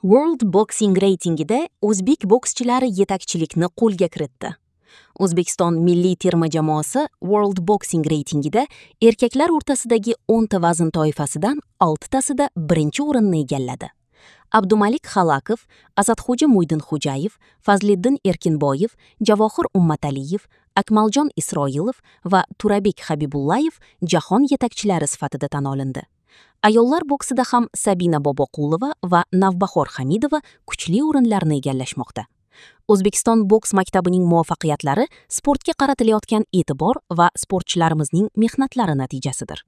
World Boxing reytingida o'zbek bokschilari yetakchilikni qo'lga kiritdi. O'zbekiston milliy terma jamoasi World Boxing reytingida erkaklar o'rtasidagi 10 ta vazn toifasidan 6 tasida birinchi o'rinni egalladi. Abdumalik Xalakov, Asadxo'ja Mo'ydinxo'jayev, Fazliddin Erkinboyev, Javohir Ummataliyev, Akmaljon Isroilov va Turabek Habibullayev jahon yetakchilari sifatida tan olindi. Ayollar boksida ham Sabina Boboqulova va Navbahor Hamidova kuchli o'rinlarni egallashmoqda. O'zbekiston boks maktabining muvaffaqiyatlari sportga qaratilayotgan e'tibor va sportchilarimizning mehnatlari natijasidir.